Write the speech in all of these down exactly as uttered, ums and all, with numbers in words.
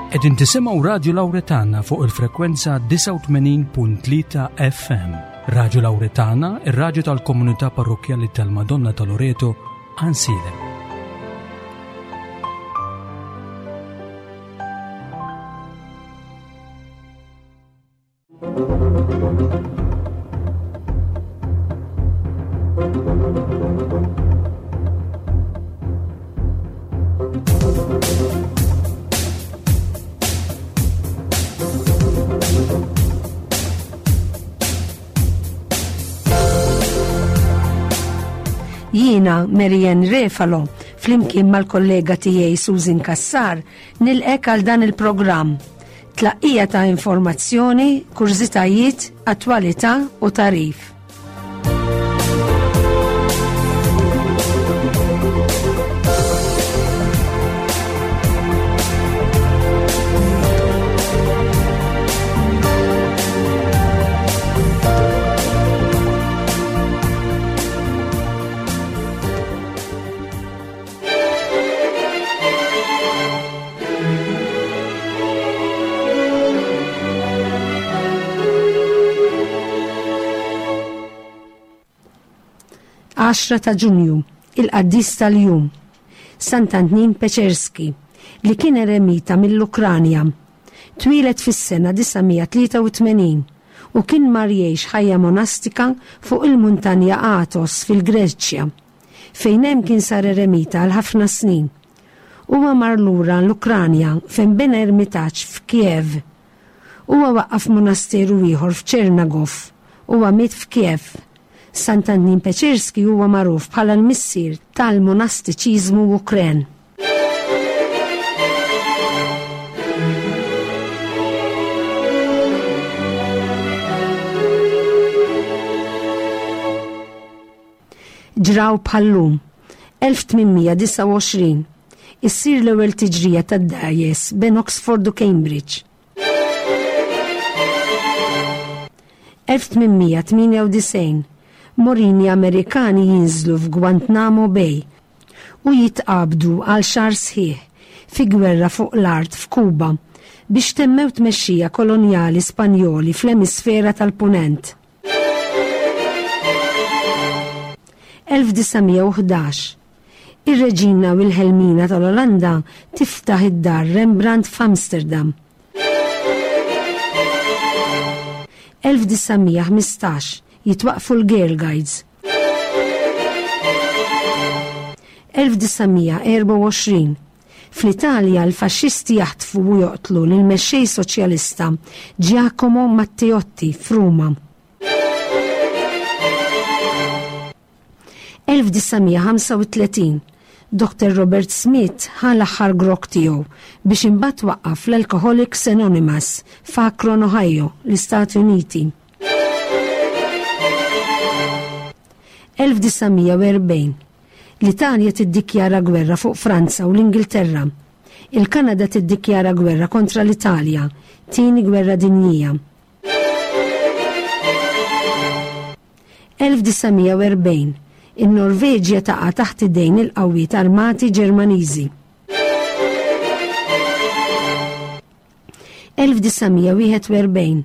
Qegħdin tisimgħu Radio Lauretana fuq il-frekwenza disgħa u tmenin punt tlieta F M. Radio Lauretana, ir-radju tal-komunità parrokjali tal-Madonna ta' Loreto, Għajnsielem. Jiena Marianne Refalo, flimkien mal-kollega tiegħi Susan Kassar, nilqgħek għal dan il-programm. Tlaqqija ta' informazzjoni, kurżitajiet, attwalità u tagħrif. Għaxra ta' Ġunju, il-qaddis tal-jum, Sant'Antnin Peċerski, li kien eremita mill-Ukranja. Twieled fis-sena disa' mija tlieta u tmenin u kien mar jgħix ħajja monastika fuq il-muntanja Athos fil-Greċja, fejn hemm kien sar eremita għal ħafna snin. Huwa mar lura l-Ukranja, fejn bena ermitaġġ f'Kiev. Huwa waqqaf monasteru ieħor f'Ċernagov. Huwa miet f'Kiev. Sant'Antnin Peċerski huwa magħruf bħala l-missier tal-monastiċiżmu Ukren. Ġraw bħal-lum, elf tmien mija disgħa u għoxrin, issir l-ewwel tiġrija tad-dgħajjes bejn Oxford u Cambridge. elf tmien mija tmienja u disgħin, Marini Amerikani jinżlu f'Guantanamo Bay u jitqabdu għal xahar sħiħ fi gwerra fuq l-art f'Kuba biex temmew tmexxija kolonjali Spanjoli fl-emisfera tal-Punent. elf disa' mija u ħdax, Ir-Reġina Wilhelmina tal-Olanda tiftaħ id-dar Rembrandt f'Amsterdam. elf disa' mija ħmistax, jitwaqfu l-Girl Guides. elf disa' mija erbgħa u għoxrin, Fl-Italja l-faxxisti jaħtfu u joqtlu lil mexxej soċjalista Giacomo Matteotti f'Ruma. elf disa' mija ħamsa u tletin, Doktor Robert Smith ħa l-aħħar grokk tiegħu biex imbagħad waqqaf l-Alcoholics Anonymous f'Akron, Ohio, l-Istati Uniti. elf disa' mija u erbgħin, L-Italja tiddikjara gwerra fuq Franza u l-Ingilterra. Il-Kanada tiddikjara gwerra kontra l-Italja, Tieni Gwerra Dinjija. elf disa' mija u erbgħin, In-Norveġja taqa' taħt idejn il-qawwiet armati Ġermaniżi. elf disa' mija wieħed u erbgħin,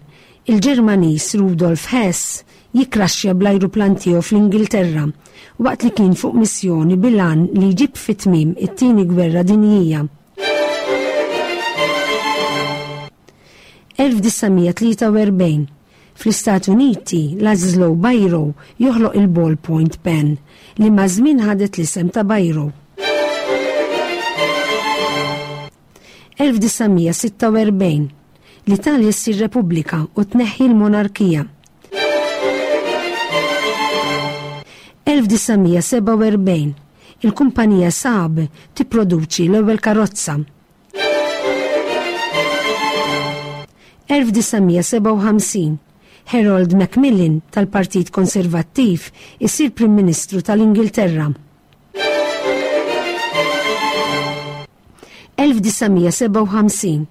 Il-Ġermaniż Rudolf Hess jikraxxja bl-ajruplan tiegħu fl-Ingilterra waqt li kien fuq missjoni bil-għan li jġib fit-tmiem it-Tieni Gwerra Dinjija. elf disa' mija tlieta u erbgħin, Fl-Istati Uniti, Laszlo Biro joħloq il-ballpoint pen li maż-żmien ħadet l-isem ta' Biro. elf disa' mija sitta u erbgħin, L-Italja ssir Repubblika u tneħħi l-monarkija. elf disa' mija sebgħa u erbgħin, Il-kumpanija Saab tipproduċi l-ewwel karozza. elf disa' mija sebgħa u ħamsin, Harold Macmillan tal-Partit Konservattiv isir Prim Ministru tal-Ingilterra. elf disa' mija sebgħa u ħamsin,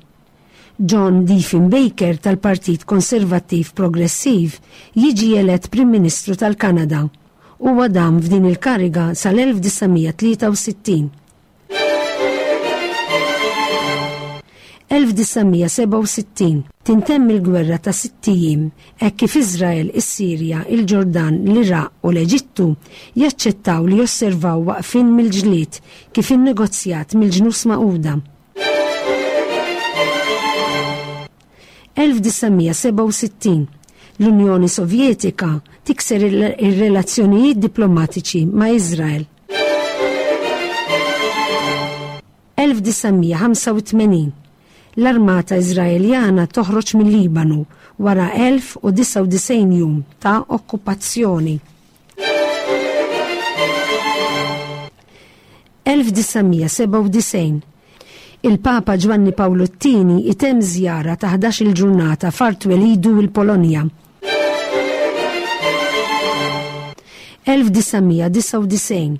John Diefenbaker tal-Partit Konservattiv Progressiv jiġi elett Prim Ministru tal-Kanada. Huwa dam f'din il-kariga sal-elf disa' mija tlieta u sittin. elf disa' mija sebgħa u sittin tintemm il-gwerra ta' sitt ijiem hekk kif Iżrael, is-Sirja, il-Ġordan, l-Iraq u l-Eġittu jaċċettaw li josservaw waqfien mill-ġlied kif innegozjat mill-Ġnus Magħquda. elf disa' mija sebgħa u sittin l-Unjoni Sovjetika tikser ir-relazzjonijiet diplomatiċi ma' Iżrael. elf disa' mija ħamsa u tmenin l-Armata Iżraeljana toħroġ mill-Libanu wara elf u disgħa u disgħin jum ta' okkupazzjoni. elf disa' mija sebgħa u disgħin il-Papa Ġwanni Pawlu t-tieni itemm żjara ta' ħdax-il ġurnata f'art twelidu l-Polonja. elf disa' mija disgħa u disgħin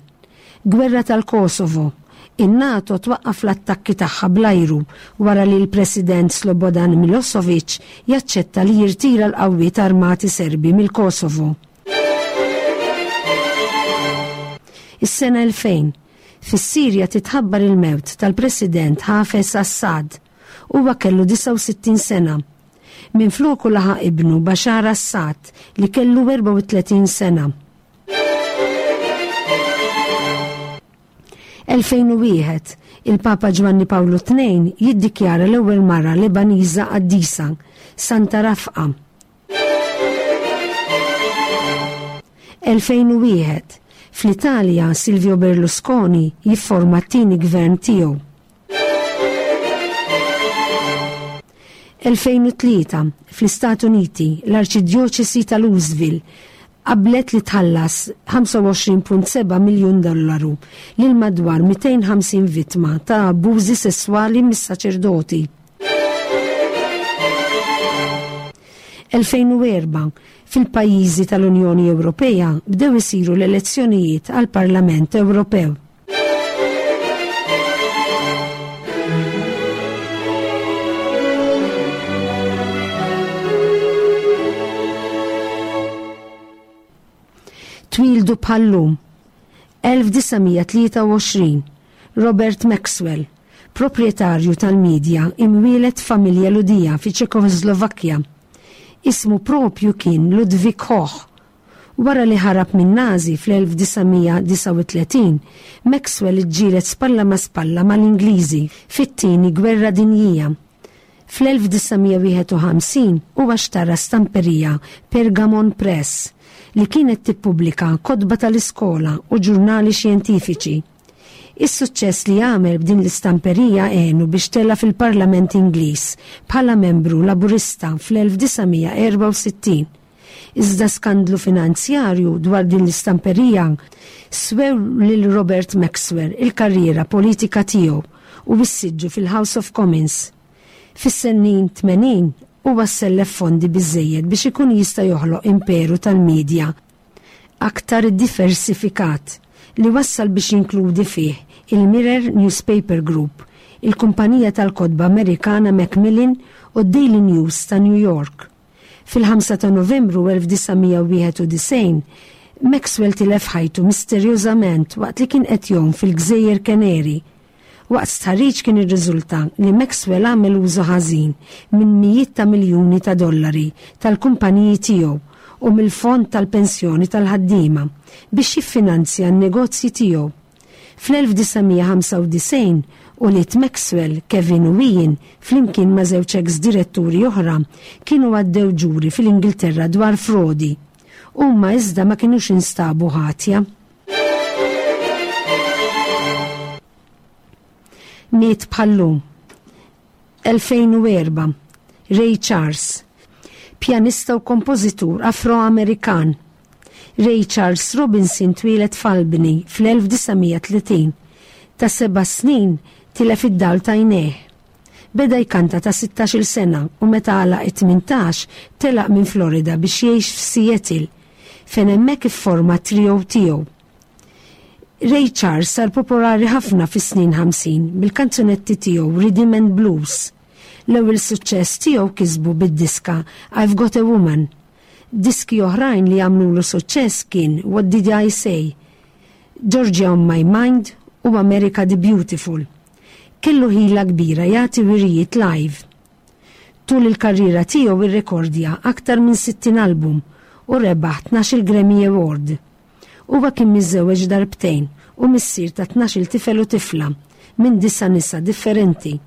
Gwerra tal-Kosovo. In-NATO twaqqaf l-attakki tagħha bl-ajru wara li l-President Slobodan Milosevic jaċċetta li jirtira l-qawwiet armati Serbi mill-Kosovo. Is-sena elfejn, fis-Sirja titħabbar il-mewt tal-President Hafez Assad. Huwa kellu disgħa u sittin sena. Minfloku laħaq ibnu Bashar Assad li kellu erbgħa u tletin sena. elfejn u wieħed, il-Papa Ġwanni Pawlu tnejn jiddikjara l-ewwel mara Lebaniża qaddisa, Santa Rafqa. elfejn u wieħed, fl-Italja Silvio Berlusconi jifforma t-tieni gvern tiegħu. elfejn u tlieta, fl-Istati Uniti, l-Arċidjoċesi ta' Louisville qablet li tħallas ħamsa u għoxrin punt seba' miljun dollaru lil madwar mitejn ħamsin vittma ta' abbużi sesswali mis-saċerdoti. elfejn u erba', fil-pajjiżi tal-Unjoni Ewropea bdew isiru l-elezzjonijiet għall-Parlament Ewropew. Twildu bħallum elf disa' mija tlieta u għoxrin, Robert Maxwell, proprjetarju tal-medja imwielet familja Ludija fi Ċekoslovakkja. Ismu propju kien Ludwig Hoch. Wara li ħarab minn Nazi fl-elf disa' mija disgħa u tletin, Maxwell iġġieled spalla ma' spalla mal-Ingliżi fit-tieni gwerra dinjija. Fl-elf disa' mija wieħed u ħamsin huwa xtara stamperija Pergamon Press li kienet tippubblika kotba tal-iskola u ġurnali xjentifiċi. Is-suċċess li għamel b'din l-istamperija għenu biex tela fil-Parlament Ingliż bħala membru laburista fl-elf disa' mija erbgħa u sittin. Iżda skandlu finanzjarju dwar din l-istamperija swew lil Robert Maxwell il-karriera politika tiegħu u s-siġġu fil-House of Commons. Fis-snin tmenin huwa sellef fondi biżżejjed biex ikun jista' joħloq imperu tal-medja aktar diversifikat li wassal biex jinkludi fih il-Mirror Newspaper Group, il-kumpanija tal-kotba Amerikana Macmillan u d-Daily News ta' New York. Fil-ħamsa ta' Novembru elf disa' mija wieħed u disgħin, Maxwell tilef ħajtu misterjużament waqt li kien qed jgħum fil-Gżejjer Canary. Waqt stħarriġ kien irriżulta li Maxwell għamel użu ħażin minn mijiet ta' miljuni ta' dollari tal-kumpaniji tiegħu u mill-fond tal-pensjoni tal-ħaddiema biex jiffinanzja n-negozji tiegħu. Fl-elf disa' mija ħamsa u disgħin ulied Maxwell, Kevin u Ian, flimkien ma' żewġ ex-diretturi oħra, kienu għaddew ġuri fil-Ingilterra dwar frodi. Huma iżda ma kinux instabu ħatja. Miet bħallum. elfejn u erba', Ray Charles, pjanista u kompożitur Afro-Amerikan. Ray Charles Robinson twieled f'Albany fl-elf disa' mija tletin. Ta' seba' snin tilef id-dawl ta' għajnejh. Beda jkanta ta' sittax-il sena u meta għalaq it-tmintax telaq minn Florida biex jgħix f'Seattle, fejn hemmhekk ifforma trio tiegħu. Ray Charles sar popolari ħafna fis-snin ħamsin bil-kanzunetti tiegħu Rhythm and Blues. L-ewwel suċċess tiegħu kisbu bid-diska I've Got a Woman. Diski oħrajn li għamlulu suċċess kien What Did I Say, Georgia on My Mind u America the Beautiful. Kellu ħila kbira jagħti wirijiet live. Tul il-karriera tiegħu irrekordja aktar minn sittin album u rebaħ tnax-il Grammy Award. Huwa kien miżżewweġ darbtejn u missier ta' tnax-il tifel u tifla minn disa' nisa differenti.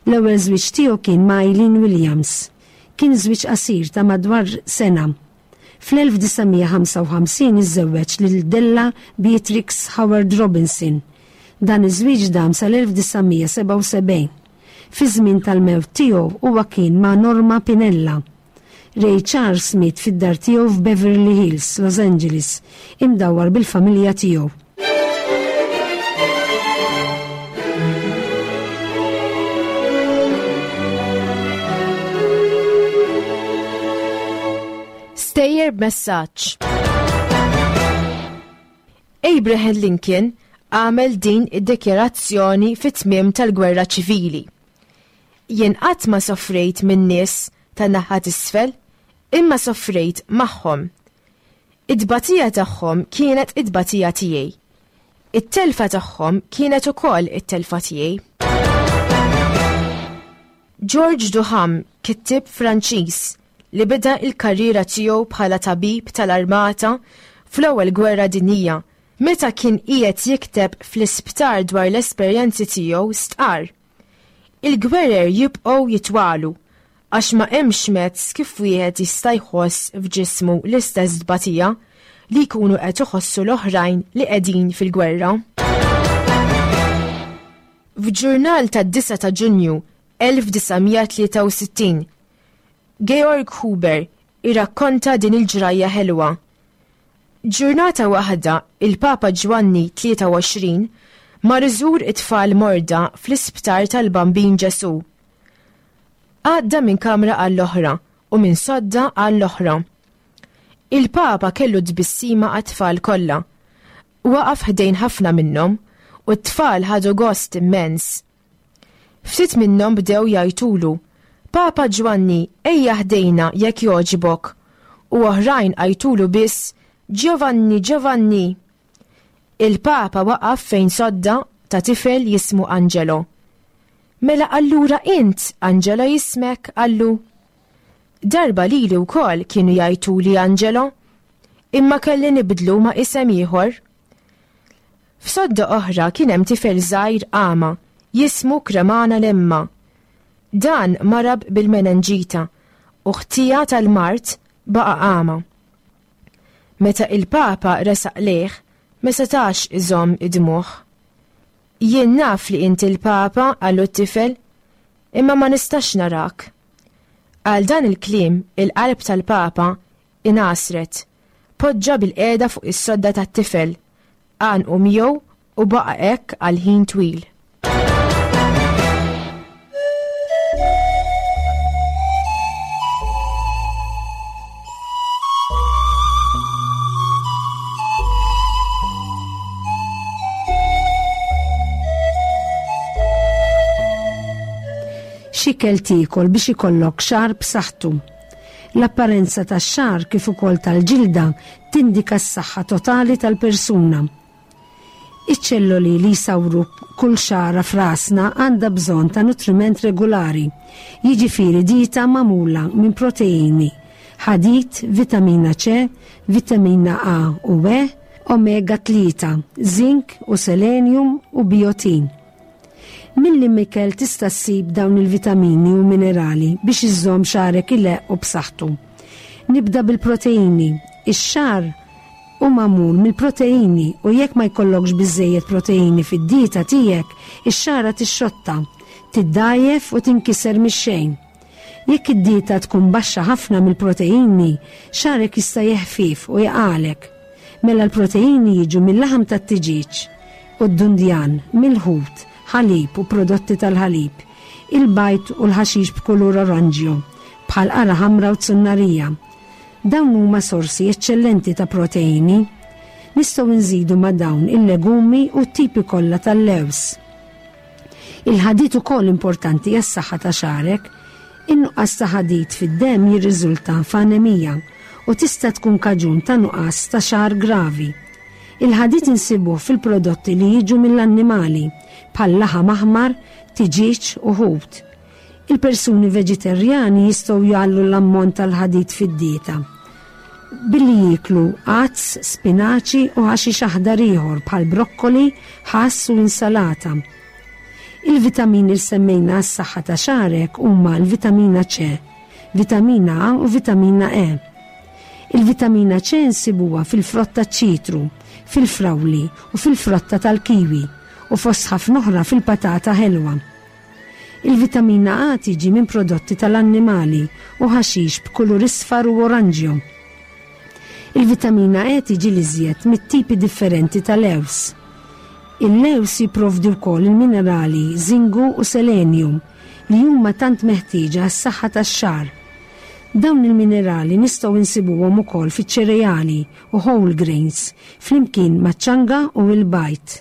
L-ewwel żwieġ tiegħu kien ma' Eileen Williams. Kien żwieġ qasir ta' madwar sena. Fl-elf disa' mija ħamsa u ħamsin iżżewweġ lil Della Beatrix Howard Robinson. Dan iż-żwieġ dam sal-elf disa' mija sebgħa u sebgħin. Fi żmien tal-mewt tiegħu huwa kien ma' Norma Pinella. Ray Charles miet fid-dar tiegħu f'Beverly Hills, Los Angeles, imdawwar bil-familja tiegħu. Stejjer b'messaġġ. Abraham Lincoln għamel din id-dikjarazzjoni fit-tmiem tal-Gwerra Ċivili. Jien qatt ma soffrejt minn nies ta' naħa t'isfel, imma soffrejt magħhom. It-tbatija tagħhom kienet it-tbatija tiegħi. It-telfa tagħhom kienet ukoll it-telfa tiegħi. George Duham, kittieb Franċiż li beda l-karriera tiegħu bħala tabib tal-armata fl-ewwel gwerra dinjija, meta kien qiegħed jikteb fl-isptar dwar l-esperjenzi tiegħu stqarr: Il-gwerer jibqgħu jitwalu għax ma hemmx mezz kif wieħed jista' jħoss f'ġismu l-istess tbatija li jkunu qed iħossu l-oħrajn li qegħdin fil-gwerra. F'ġurnal tad-disa ta' Ġunju elf disa' mija tlieta u sittin, Georg Huber irrakkonta din il-ġrajja ħelwa. Ġurnata waħda il-Papa Ġwanni tlieta u għoxrin mar iżur it-tfal morda fl-isptar tal-Bambin Ġesu. Għadda minn kamra għall-oħra u minn sodda għall-oħra. Il-Papa kellu tbissima għat-tfal kollha. Waqaf ħdejn ħafna minnhom u t-tfal ħadu gost immens. Ftit minnhom bdew jgħajtulu: Papa Ġwanni, ejja ħdejna jekk jogħġbok. U oħrajn għajtulu biss: Giovanni, Giovanni. Il-Papa waqaf fejn sodda ta' tifel jismu Angelo. Mela allura int, Angelo jismek, qallu. Darba lili wkoll kienu jgħajtuli Angelo, imma kelli nibdlu ma' isem ieħor. F'sodda oħra kien hemm tifel żgħir għama, jismu Kremana Lemma. Dan marab bil-menenġita u ħtija tal-mart baqa' għama. Meta il-Papa resaq lejh, ma setax iżomm id-dmugħ. Jien naf li inti l-Papa, qallu t-tifel, imma ma nistax narak. Għal dan il-kliem, il-qalb tal-Papa inasret, poġġa bil-qiegħda fuq is-sodda tat-tifel, għanqu miegħu u baqa' hekk għal ħin twil. X'ikel tiekol biex ikollok xagħar b'saħħtu. L-apparenza tax-xagħar kif ukoll tal-ġilda tindika s-saħħa totali tal-persuna. Iċ-ċelloli li jsawru kull xagħra f'rasna għandha bżonn ta' nutriment regolari, jiġifieri dieta magħmula minn proteini, ħadid, vitamina C, vitamina A u E, omega tlieta, zinc u selenium u biotin. Milli mikel tista' ssib dawn il-vitamini u minerali biex iżżomm xagħrek ileqq u b'saħħtu. Nibda bil-proteini. Ix-xagħar hu magħmul mill-proteini u jekk ma jkollokx biżżejjed proteini fid-dieta tiegħek, ix-xagħra tixxotta, tiddajjef u tinkiser mix-xejn. Jekk id-dieta tkun baxxa ħafna mill-proteini, xagħrek jista' jeħfif u jaqalek. Mela l-proteini jiġu mill-laħam tat-tiġieġ u d-dundjan, mill-ħut, ħalib u prodotti tal-ħalib, il-bajt u l-ħaxix b'kulur oranġjo, bħal qara ħamra u tsunnarija. Dawn huma sorsi eċċellenti ta' proteini. Nistgħu nżidu ma' dawn il-legumi u t-tipi kollha tal-lews. Il-ħadid ukoll importanti għas-saħħa ta' xagħrek. In-nuqqas ta' ħadid fid-demm jirriżulta f'anemija u tista' tkun kaġun ta' nuqqas ta' xagħar gravi. Il-ħadid insibuh fil-prodotti li jiġu mill-annimali, bħal laħam aħmar, tiġieġ u ħut. Il-persuni veġitarjani jistgħu jgħallu l-ammont tal-ħadid fid-dieta billi jieklu għads, spinaċi u ħaxix aħdar ieħor bħal brokkoli, ħass u insalata. Il-vitamini li semmejna għas-saħħa ta' xagħrek huma l-vitamina C, vitamina A u vitamina E. Il-vitamina C nsibuha fil-frotta ċitru, fil-frawli u fil-frotta tal-kiwi u fost ħafna oħra fil-patata ħelwa. Il-vitamina A tiġi minn prodotti tal-annimali u ħaxix b'kulur isfar u oranġjo. Il-vitamina E tiġi l-iżjed mit-tipi differenti tal-lews. Il-lews jipprovdi wkoll il-minerali zingu u selenium li huma tant meħtieġa għas-saħħa tax-xagħar. Dawn il-minerali nistgħu insibuhom ukoll fiċ-ċereali u whole grains flimkien maċ-ċanga u l-bajd.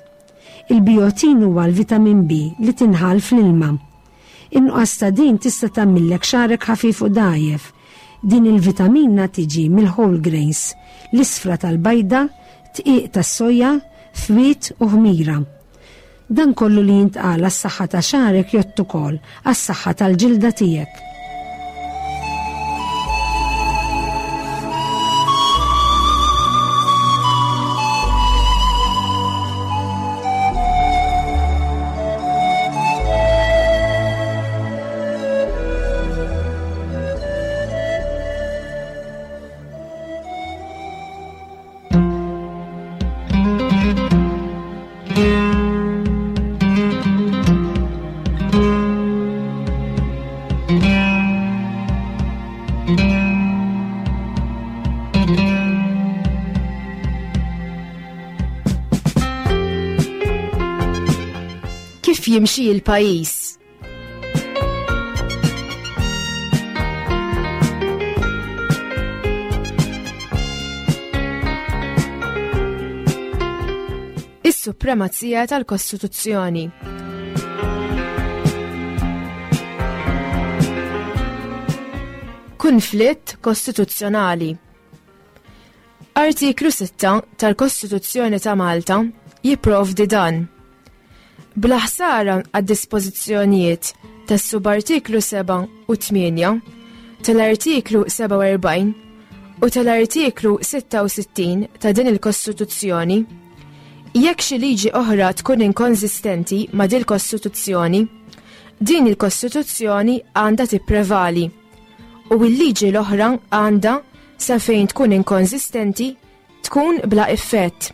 Il-biotin huwa l-vitamin B li tinħall fl-ilma. In-nuqqas ta' din tista' tagħmillek xagħrek ħafif u dgħajjef. Din il-vitamina tiġi mill-whole grains, l-isfra tal-bajda, dqiq tas-soja, fwiet u ħmira. Dan kollu li jintqal għas-saħħa ta' xagħrek jgħodd ukoll għas-saħħa tal-ġilda tiegħek. Kif jimxi l-pajjiż? Is-supremazija tal-Kostituzzjoni. Kunflitt kostituzzjonali. Artiklu sitta tal-Kostituzzjoni ta' Malta jipprovdi dan. Bla ħsara għad-dispożizzjonijiet tas-subartiklu seba' u tmienja, tal-artiklu sebgħa u erbgħin u tal-artiklu sitta u sittin ta' din il-Kostituzzjoni, jekk xi liġi oħra tkun inkonsistenti ma' din il-Kostituzzjoni, din il-Kostituzzjoni għandha tipprevali u l-liġi l-oħra għandha, sa fejn tkun inkonsistenti, tkun bla effett.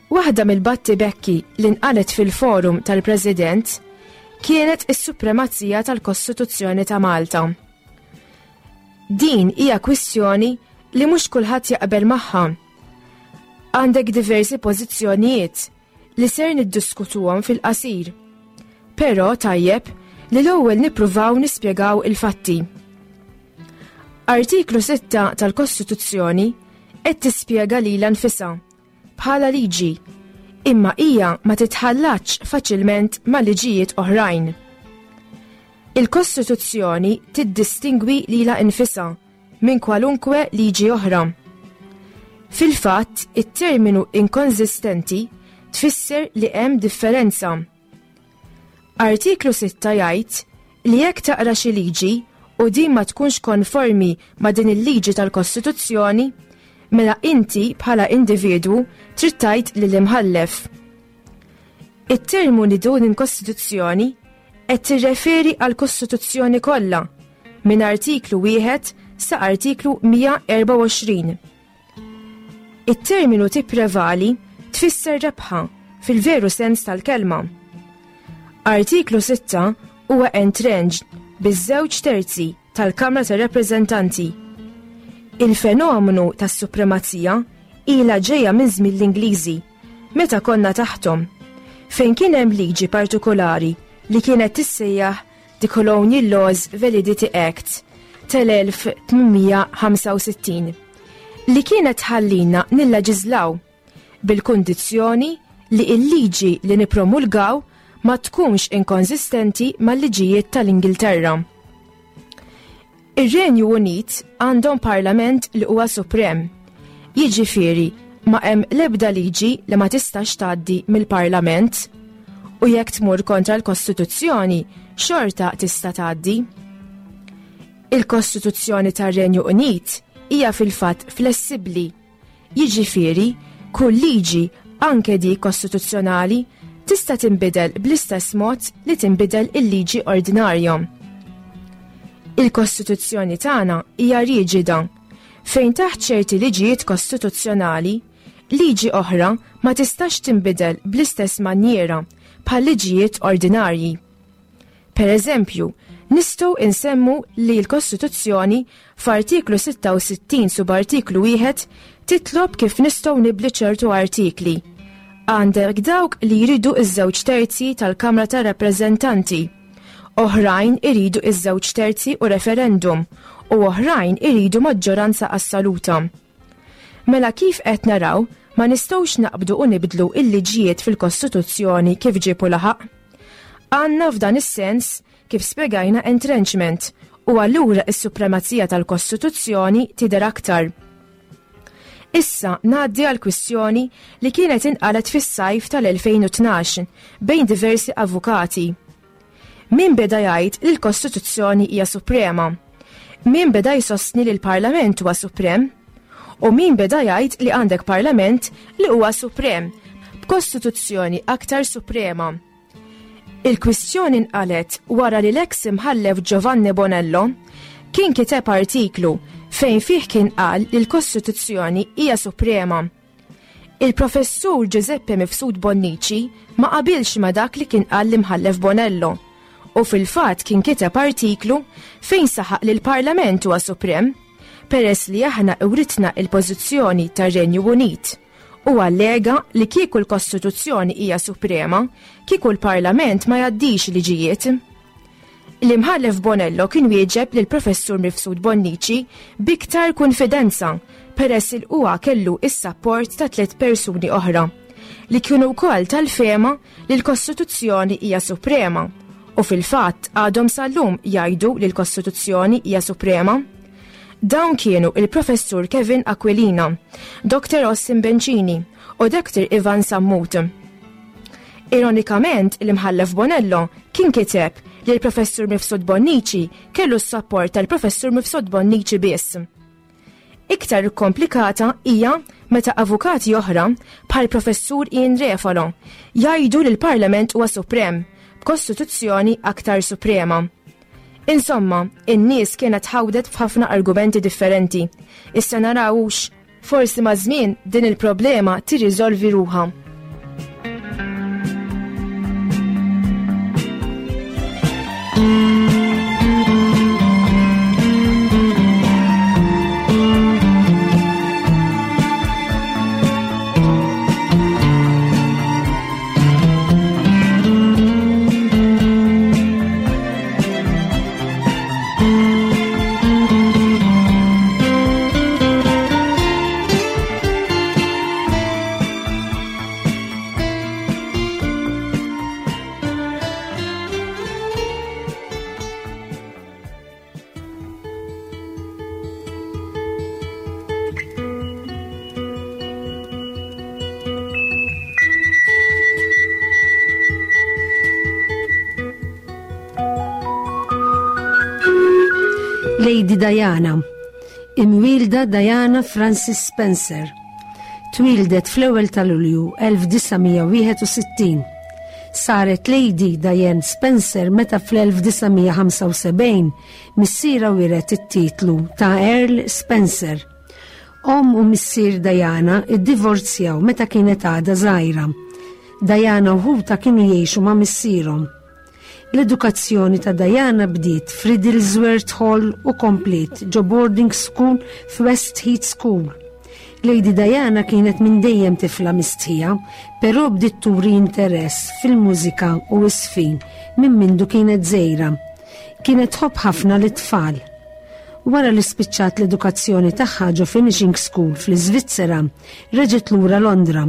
Waħda mill-batti bekki li nqalet fil-forum tal-President kienet is-supremazija tal-Kostituzzjoni ta' Malta. Din hija kwistjoni li mhux kulħadd jaqbel magħha. Għandek diversi pożizzjonijiet li ser niddiskutuhom fil-qasir. Però tajjeb li l-ewwel nippruvaw nispjegaw il-fatti. Artiklu sitta tal-Kostituzzjoni qed tispjega lilha nfisha bħala liġi, imma hija ma titħallatx faċilment ma' liġijiet oħrajn. Il-Kostituzzjoni tiddistingwi lilha nfisha minn kwalunkwe liġi oħra. Fil-fatt, it-terminu inkonsistenti tfisser li hemm differenza. Artiklu sitta jgħid li jekk taqra xi liġi u din ma tkunx konformi ma' din il-liġi tal-Kostituzzjoni, mela inti bħala individwu trid tgħid lill-imħallef. It-terminu dun il-Kostituzzjoni qed tirreferi għall-Kostituzzjoni kollha minn artiklu wieħed sa artiklu mija erbgħa u għoxrin. It-terminu tipprevali tfisser rebħa fil-veru sens tal-kelma. Artiklu sitta huwa entrenched biż-żewġ terzi tal-Kamra tar-Rappreżentanti. Il-fenomenu tas-supremazija ilha ġejja minn żmien l-Ingliżi, meta konna taħthom, fejn kien hemm liġi partikolari li kienet tissejjaħ The Colonial Laws Validity Act tal-elf tmien mija ħamsa u sittin, li kienet ħallina nilleġiżlaw bil-kundizzjoni li l-liġi li nippromulgaw ma tkunx inkonsistenti mal-liġijiet tal-Ingilterra. Ir-Renju Unit għandhom parlament li huwa suprem, jiġifieri Ma hemm l-ebda liġi li ma tistax tgħaddi mill-Parlament u jekk tmur kontra l-Kostituzzjoni xorta tista' tgħaddi. Il-Kostituzzjoni tar-Renju Unit hija fil-fatt flessibbli. Jiġifieri, kull liġi anke dik kostituzzjonali tista' tinbidel bl-istess mod li tinbidel il-liġi ordinarja. Il-Kostituzzjoni tagħna hija riġida fejn taħt ċerti liġijiet kostituzzjonali, liġi oħra ma tistax tinbidel bl-istess manjiera bħal liġijiet ordinarji. Per eżempju, nistgħu insemmu li l-Kostituzzjoni f'artiklu sitta u sittin subartiklu wieħed titlob kif nistgħu nibli ċertu artikli. Għandek dawk li jridu iż-żewġ terzi tal-Kamra tar-Rappreżentanti. Oħrajn iridu iż-żewġ terzi u referendum u oħrajn iridu maġġoranza assoluta. Mela kif qed naraw, ma nistgħux naqbdu u nibdlu il-liġijiet fil-Kostituzzjoni kif ġiebu laħaq. Għandna f'dan is-sens kif spjegajna entrenchment u allura is-supremazija tal-Kostituzzjoni tidher aktar. Issa ngħaddi għal kwistjoni li kienet inqalet fis-sajf tal-elfejn u tnax bejn diversi avukati. Min beda jgħid li l-Kostituzzjoni hija suprema? Min beda jsostni li l-Parlament huwa suprem? U min beda jgħid li għandek Parlament li huwa suprem, b'Kostituzzjoni aktar suprema? Il-kwistjoni nqalet wara li l-eks imħallef Giovanni Bonello kien kiteb artiklu fejn fih kien qal li l-Kostituzzjoni hija suprema. Il-professur Giuseppe Mifsud Bonnici ma qabilx ma dak li kien qal l-imħallef Bonello u fil-fatt kien kiteb artiklu fejn saħaq li l-Parlament huwa suprem peress li aħna uritna il-pożizzjoni tar-Renju Unit u allega li kieku l-Kostituzzjoni hija suprema, kieku l-Parlament ma jgħaddix liġijiet. L-imħallef Bonello kien wieġeb lil professur Mifsud Bonnici biktar konfidenza peress il huwa kellu is-sapport ta' tliet persuni oħra li kienu wkoll tal-fema li l-Kostituzzjoni hija suprema u fil-fatt għadhom sal-lum jgħidu li l-Kostituzzjoni hija suprema. Dawn kienu il-professur Kevin Aquilina, Doktor Austin Bencini u Doktor Ivan Sammut. Ironikament, l-imħallef Bonello kien kiteb li l-professur Mifsud Bonnici kellu s-sapport tal-professur Mifsud Bonnici biss. Iktar komplikata hija meta avukati oħra bħal professur Ian Refalo jgħidu li l-Parlament huwa suprem, b'kostituzzjoni aktar suprema. Insomma, in-nies kienet ħawdet f'ħafna argumenti differenti. Issa narawx, forsi ma' żmien din il-problema tirriżolvi ruha. Lady Diana, imwielda Diana Frances Spencer, twildet fl-ewwel ta' Lulju elf disa' mija wieħed u sittin. Saret Lady Diane Spencer meta fl-elf disa' mija ħamsa u sebgħin missiera wiret it-titlu ta' Earl Spencer. Omm u missier Diana iddivorzjaw meta kienet għadha żgħira. Diana u ħuta kienu jgħixu ma' missierhom. L-edukazzjoni ta' Diana bdiet f'Riddlesworth Hall u komplet ġo boarding school f'West Heath School. Lady Diana kienet minn dejjem tifla mistħija, però bdiet turi interess fil-mużika u s-sfin minn mindu kienet żgħira. Kienet tħobb ħafna lit-tfal. Wara li spiċċat l-edukazzjoni tagħha ġo Finishing School fl-Iżvizzera, reġgħet lura Londra,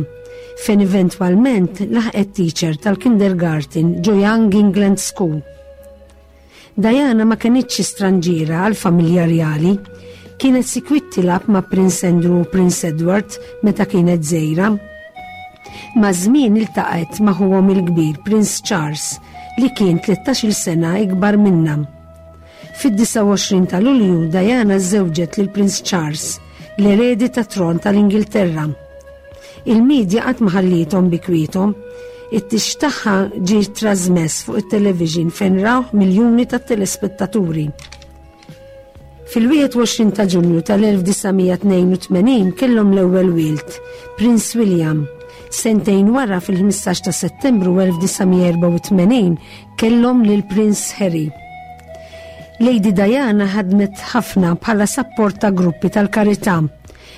fejn eventwalment laħqet teacher tal-kindergarten ġo Young England School. Diana ma kenitx stranġiera għal familja rjali, Kienet sikwit tilgħab ma' Prince Andrew u Prince Edward meta kienet żgħira. Maż-żmien iltaqgħet ma' ħuhom il-kbir Prince Charles li kien tlettax-il sena ikbar minnha. Fid-disgħa u għoxrin ta' Lulju Diana żewġet lil Prince Charles, l-eredi tat-tron tal-Ingilterra. Il-medja qatt ma ħalliethom bi kwiethom. It-tieġ tagħha ġie trasmess fuq it-television fejn rawh miljuni ta' telespettaturi. Fil-wieħed u għoxrin ta' Ġunju tal-elf disa' mija tnejn u tmenin kellhom l-ewwel wild, Prince William. Sentejn wara fil-ħmistax ta' Settembru elf disa' mija erba' u tmenin kellhom lil Prince Harry. Lady Diana ħadmet ħafna bħala sapport ta' gruppi tal-karità.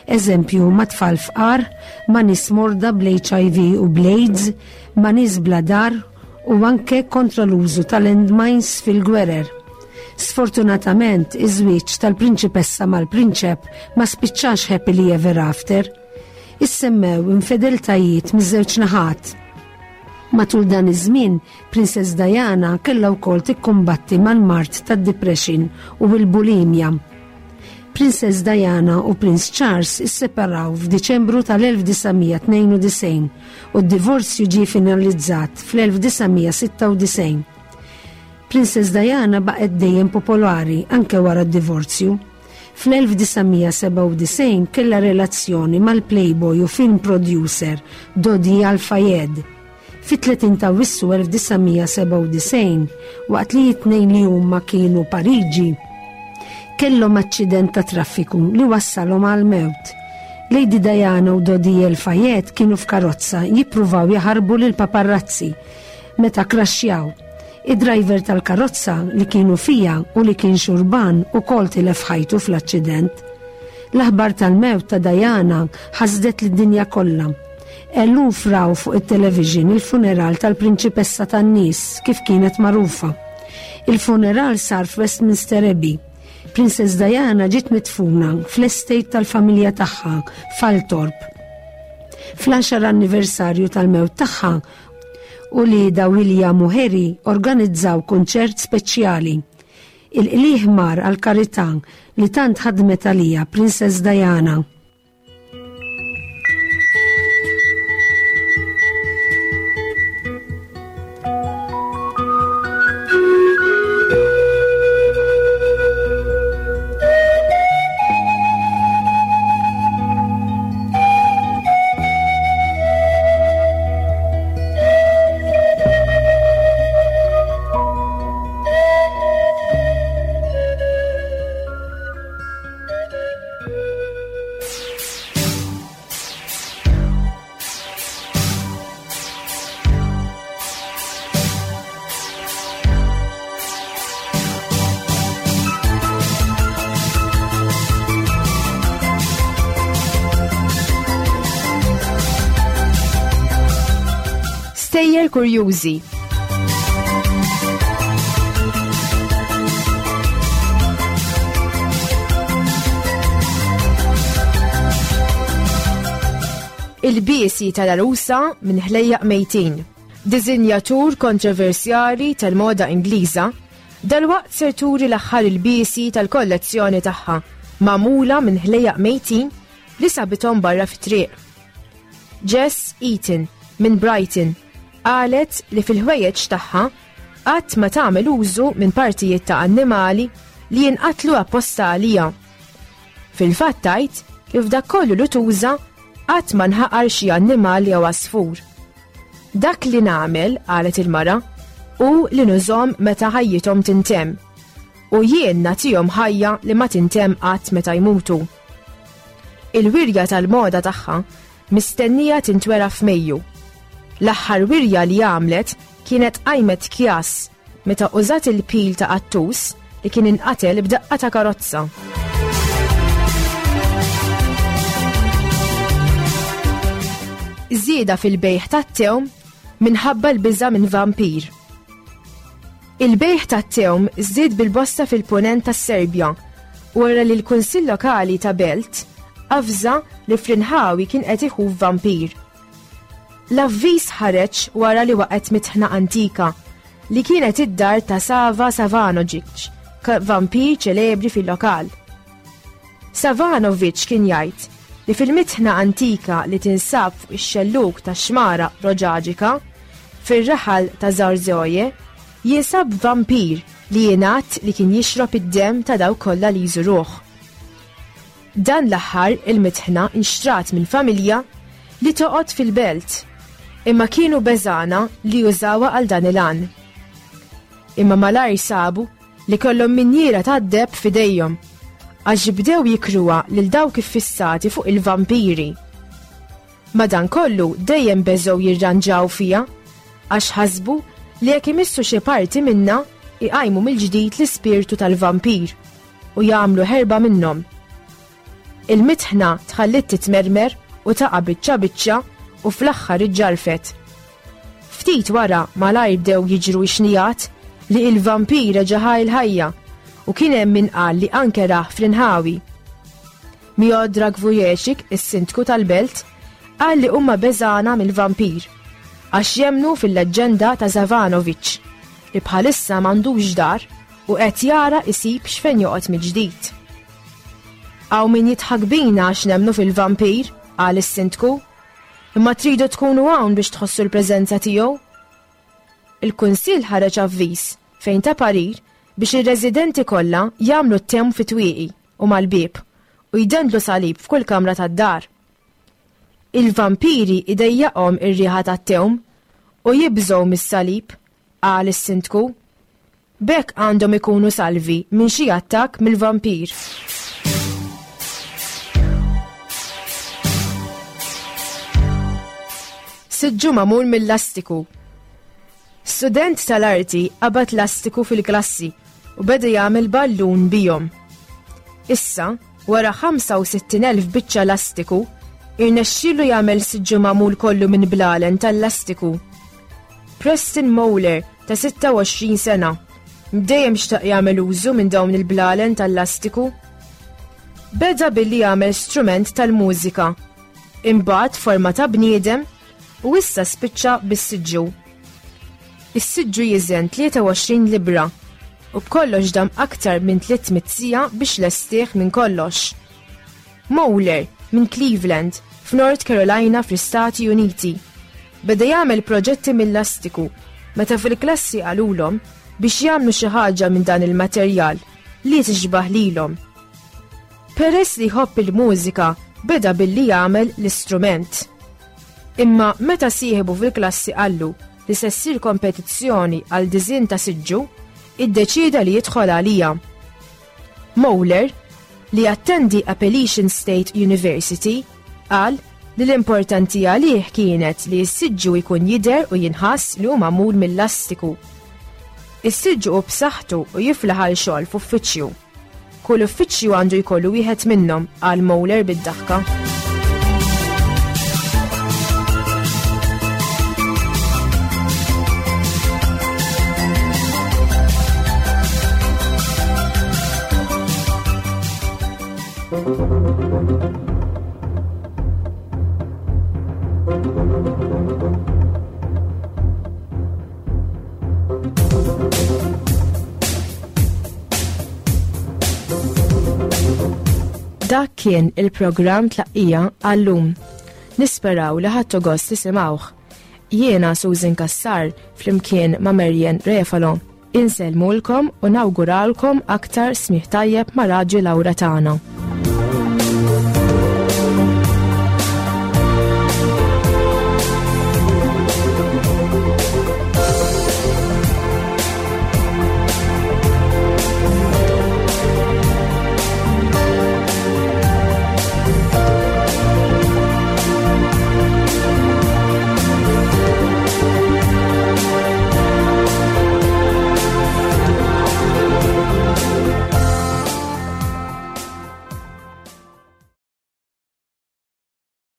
Eżempju, ma' tfal fqar, ma' nies morda bl-H I V u bl-AIDS, ma' nies bla dar u anke kontra l-użu tal-landmines fil-gwerer. Sfortunatament, iż-żwieġ tal-prinċipessa mal-prinċep ma spiċċax happily ever after. Issemmew infedeltajiet miż-żewġ naħat. Matul dan iż-żmien, Princess Diana kellha wkoll tikkumbatti mal-mard tad-depression u l-bulimja. Princess Diana u Prince Charles isseparaw f'Diċembru tal-elf disa' mija tnejn u disgħin u d-divorzju ġie finalizzat fl-elf disa' mija sitta u disgħin. Princess Diana baqgħet dejjem popolari anke wara d-divorzju. Fl-elf disa' mija seba' u disgħin kellha relazzjoni mal-playboy u film producer Dodi Al-Fayed. Fit-tletin ta' Awwissu elf disa' mija seba' u disgħin, waqt li t-tnejn li huma kienu Pariġi, kellhom aċċident ta' traffiku li wassalhom għal mewt. Lady Diana u Dodi Al-Fayed kienu f'karozza jippruvaw jaħarbu lil paparazzi meta kraxxjaw. Id-driver tal-karozza li kienu fija u li kien xurban ukoll tilef ħajtu fl-aċċident. L-aħbar tal-mewt ta' Diana ħasdet lid-dinja kollha. Eluf raw fuq it-television il-funeral tal-prinċipessa tan-nies kif kienet magħrufa. Il-funeral sar f'Westminster Abbey. Princess Diana ġiet midfuna fl-estate tal-familja tagħha f'Althorp. Fl-għaxar anniversarju tal-mewt tagħha u li da William u Harry organizzaw kunċert speċjali. Il-qliħ mar għal-karità li tant ħadmet għalija Princess Diana. Stejjer kurjużi. Il-biesi tal-arusa minn ħlejjaq mejtin. Dizinjatur kontroversjali tal-moda Ingliża, dalwaqt ser turi l-aħħar il-biesi tal-kollezzjoni tagħha, magħmula minn ħlejjaq mejtin li sabithom barra fit-triq. Jess Eaton minn Brighton qalet li fil-ħwejjeġ tagħha qatt ma tagħmel użu minn partijiet ta' annimali li jinqatlu apposta għalija. Fil-fatt tgħid li f'dak kollu li tuża qatt ma nħaqar xi annimal jew għasfur. Dak li nagħmel, qalet il-mara, hu li nużhom meta ħajjithom tintemm u jien nagħtihom ħajja li ma tintemm qatt meta jmutu. Il-wirja tal-moda tagħha mistennija tintwera f'Mejju. L-aħħar wirja li għamlet kienet qajmet kjas meta użat il-pil ta' qattus li kien inqatel b'daqqa ta' karozza. Żieda fil-bejgħ tat-tewm minħabba l-biża' minn vampir. Il-bejgħ tat-tewm żdied bil-bosta fil-punent tas-Serbja wara li l-Kunsill Lokali ta' Belt avża li fl-inħawi kien qed iħuf vampir. L-avviż ħareġ wara li waqgħet mitħna antika li kienet id-dar ta' Sava Savanovic, vampir ċelebri fil-lokal. Savanovic kien jgħid li fil-mitħna antika li tinsab fuq ix-xellug tax-xmara Roġaġika, fir-raħal ta' Zarzoje, jinsab vampir li jingħad li kien jixrob id-demm ta' dawk kollha li jżuruh. Dan l-aħħar il-mitħna inxtrat minn familja li toqgħod fil-belt, imma kienu beżana li jużawha għal dan il-għan. Imma malajr sabu li kellhom minjiera tad-deheb f'idejhom, għax bdew jikruha lil dawk iffissati fuq il-vampiri. Madankollu dejjem beżgħu jirranġaw fiha, għax ħasbu li jekk imissu xi parti minnha iqajmu mill-ġdid l-ispirtu tal-vampir u jagħmlu ħerba minnhom. Il-mitħna tħallit titmermer u taqa' biċċa biċċa u fl-aħħar iġġarfet. Ftit wara malajr bdew jiġru xnijat li il-vampir reġa' ħa l-ħajja u kien hemm min qal li anke rah fl-inħawi. Miodrag Vujecic, is-sindku tal-belt, qal li huma beżana mill-vampir għax jemmnu fil-leġġenda ta' Zavanovic li bħalissa m'għandux dar u qed jara isib x'fejn joqgħod mill-ġdid. Hawn min jidħak bina għax nemmnu fil-vampir, qal is-sindku, imma tridu tkunu hawn biex tħossu l-preżenza tiegħu. Il-Kunsill ħareġ avviż fejn ta parir biex ir-residenti kollha jagħmlu t-tem fit-twieqi u mal-bieb u jdendlu salib f'kull kamra tad-dar. Il-vampiri idejjaqhom ir-riħa tat-tewm u jibżgħu mis-salib, qal is-sindku. B'hekk għandhom ikunu salvi minn xi attakk mill-vampir. Siġġu magħmul mill-lastiku. Student tal-arti qabad lastiku fil-klassi u beda jagħmel ballun bihom. Issa, wara ħamsa u sittin elf biċċa lastiku, irnexxielu jagħmel siġġu magħmul kollu minn blalen tal-lastiku. Preston Moller ta' sitta u għoxrin sena, dejjem xtaq jagħmel użu minn dawn il-blalen tal-lastiku. Beda billi jagħmel strument tal-mużika, imbagħad forma ta' bniedem u issa spiċċa bis-siġġu. Is-siġġu jiżen tlieta u għoxrin libra u b'kollox dam aktar minn tliet mitt siegħa biex lestih minn kollox. Moller minn Cleveland, f'North Carolina fl-Istati Uniti, beda jagħmel proġetti mill-lastiku meta fil-klassi qalulhom biex jagħmlu xi ħaġa minn dan il-materjal li tixbah lilhom. Peress li jħobb il-mużika, beda billi jagħmel l-istrument. Imma meta sieħbu fil-klassi qallu li se ssir kompetizzjoni għal diżinn ta' siġġu, iddeċieda li jidħol għalija. Moller, li attendi Appalachian State University, qal li l-importanti għalih kienet li s-siġġu jkun jidher u jinħass li hu magħmul mill-lastiku. Is-siġġu hu b'saħħtu u jiflaħ għal xogħol f'uffiċċju. Kull uffiċċju għandu jkollu wieħed minnhom, qal Moller bid-daħka. Dak kien il-programm Tlaqqija għallum. Nisperaw li ħadtu gost tisimgħuh. Jiena Susan Cassar flimkien ma' Marian Refalo. Insellmulkom u nawguralkom aktar smigħ tajjeb ma' Raġi Laura tagħna.